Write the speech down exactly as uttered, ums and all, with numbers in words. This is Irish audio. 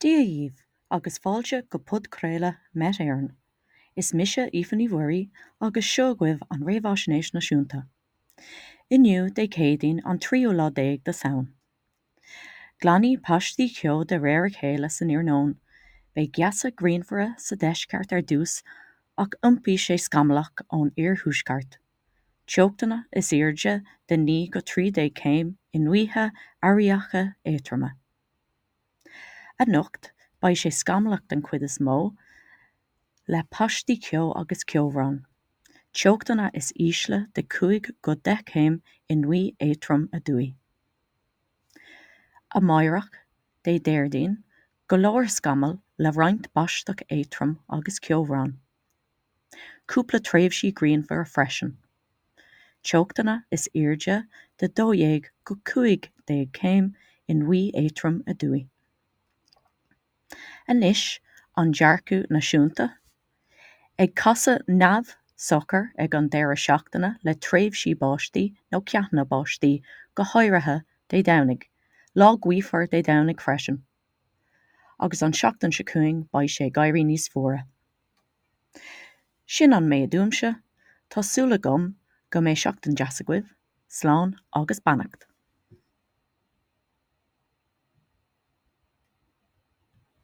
Dia dhaoibh agus fáilte go podchraoladh Met Éireann. Is mise Aoife Ní Mhuirí agus seo agaibh an Réamhaisnéis Náisiúnta. Inniu Dé Céadaoin an tríú lá déag de Samhain. Glanfaidh paistí ceo de réir a chéile san iarnóin, beidh geasa grianmhara sa deisceart ar dtús ach iompóidh sé scamallach ón iarthuaisceart. Teochtanna is airde de naoi go trí déag céim i ngaotha airíocha éadtroma. Anocht beidh sé scamallach den chuid is mó, le paistí ceo agus ceobhrán. Teochtanna is ísle de cúig go deich céim i ngaoth éadrom aduaidh. Amárach, Dé Déardaoin, go leor scamall le roinnt báisteach éadrom agus ceobhrán. Cúpla tréimhsí grianmhara freisin. Teochtanna is airde de dó dhéag go cúig déag céim i ngaoth éadrom aduaidh. Anois an dearcadh náisiúnta. Ag casadh neamhshocair ag an deireadh seachtaine le tréimhsí báistí nó ceathanna báistí, go háirithe Dé Domhnaigh, lá gaofar Dé Domhnaigh freisin. Agus an seachtain seo chugainn beidh sé ag éirí níos fuaire. Sin an méid uaimse, tá súil agam go mbeidh seachtain deas agaibh, slán agus beannacht.